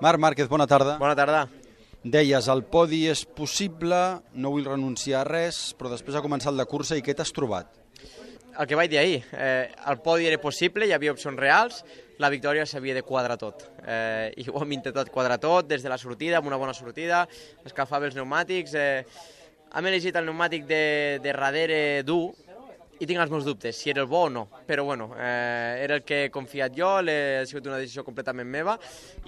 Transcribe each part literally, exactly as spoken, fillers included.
Marc Márquez, bona tarda. Bona tarda. Deies, el podi és possible, no vull renunciar a res, però després ha començat la cursa i què t'has trobat? El que vaig dir ahir, eh, el podi era possible, hi havia opcions reals, la victòria s'havia de quadrar tot. Eh, I ho hem intentat quadrar tot, des de la sortida, amb una bona sortida, escalfava els pneumàtics. Eh, hem elegit el pneumàtic de, de darrere dur, i tinc els meus dubtes, si era el bo o no, però bueno, eh, era el que he confiat jo, ha sigut una decisió completament meva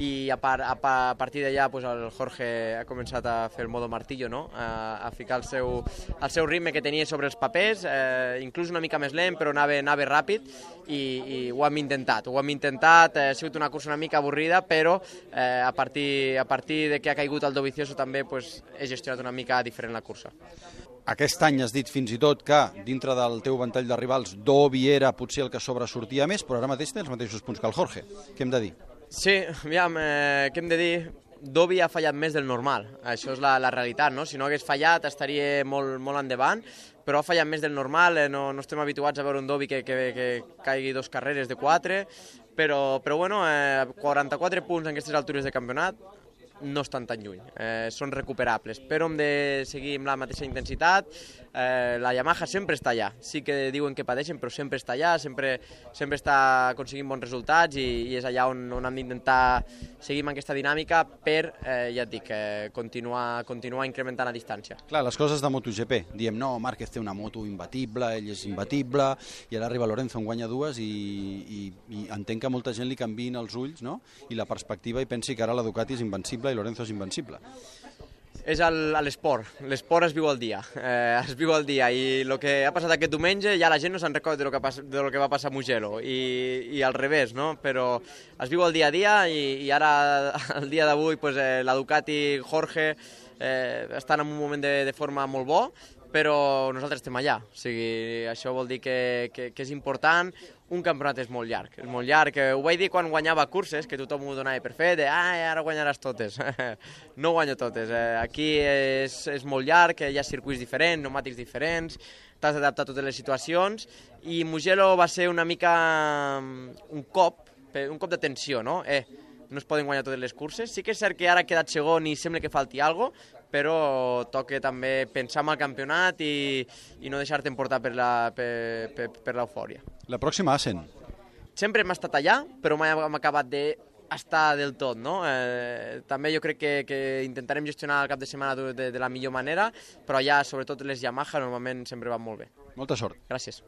i a, par, a, a partir d'allà pues, el Jorge ha començat a fer el modo martillo, no? a, a ficar el seu, el seu ritme que tenia sobre els papers, eh, inclús una mica més lent, però anava, anava ràpid i, i ho hem intentat, ho hem intentat, eh, ha sigut una cursa una mica avorrida, però eh, a, partir, a partir de que ha caigut el Dovizioso també pues, he gestionat una mica diferent la cursa. Aquest any has dit fins i tot que, dintre del teu ventall de rivals, Dovi era potser el que sobresortia més, però ara mateix tens els mateixos punts que el Jorge. Què hem de dir? Sí, aviam, eh, què hem de dir? Dovi ha fallat més del normal, això és la, la realitat, no? Si no hagués fallat estaria molt, molt endavant, però ha fallat més del normal, eh, no, no estem habituats a veure un Dovi que, que, que caigui dos carreres de quatre, però, però bueno, eh, quaranta-quatre punts en aquestes altures de campionat, no estan tan lluny, eh, són recuperables, però hem de seguir amb la mateixa intensitat. Eh, la Yamaha sempre està allà, sí que diuen que pateixen, però sempre està allà, sempre, sempre està aconseguint bons resultats i, i és allà on, on hem d'intentar seguir amb aquesta dinàmica per, eh, ja et dic, eh, continuar, continuar incrementant la distància. Clar, les coses de MotoGP, diem no, Márquez té una moto imbatible, ell és imbatible, i ara arriba Lorenzo, en guanya dues i, i, i entenc que molta gent li canviïn els ulls, no? I la perspectiva i pensi que ara la Ducati és invencible i Lorenzo és invencible. És l'esport, l'esport es viu al dia, eh, es viu al dia i el que ha passat aquest diumenge ja la gent no se'n recorda de lo que, pas, de lo que va passar a Mugello i, i al revés, no? Però es viu al dia a dia i, i ara, el dia d'avui, pues, eh, la Ducati, Jorge, eh, estan en un moment de, de forma molt bo, però nosaltres estem allà, o sigui, això vol dir que, que, que és important. Un campionat és molt llarg, és molt llarg. Ho vaig dir quan guanyava curses, que tothom ho donava per fet, de ah, ara guanyaràs totes. No guanyo totes. Aquí és, és molt llarg, hi ha circuits diferents, pneumàtics diferents, t'has d'adaptar a totes les situacions, i Mugello va ser una mica un cop, un cop de tensió, no? Eh, no es poden guanyar totes les curses. Sí que és cert que ara ha quedat segon i sembla que falti alguna cosa, però toca també pensar en el campionat i, i no deixar-te emportar per l'eufòria. La pròxima Assen. Sempre hem estat allà, però mai hem acabat d'estar del tot, no? Eh, també jo crec que, que intentarem gestionar el cap de setmana de, de la millor manera, però allà, sobretot les Yamaha, normalment sempre van molt bé. Molta sort. Gràcies.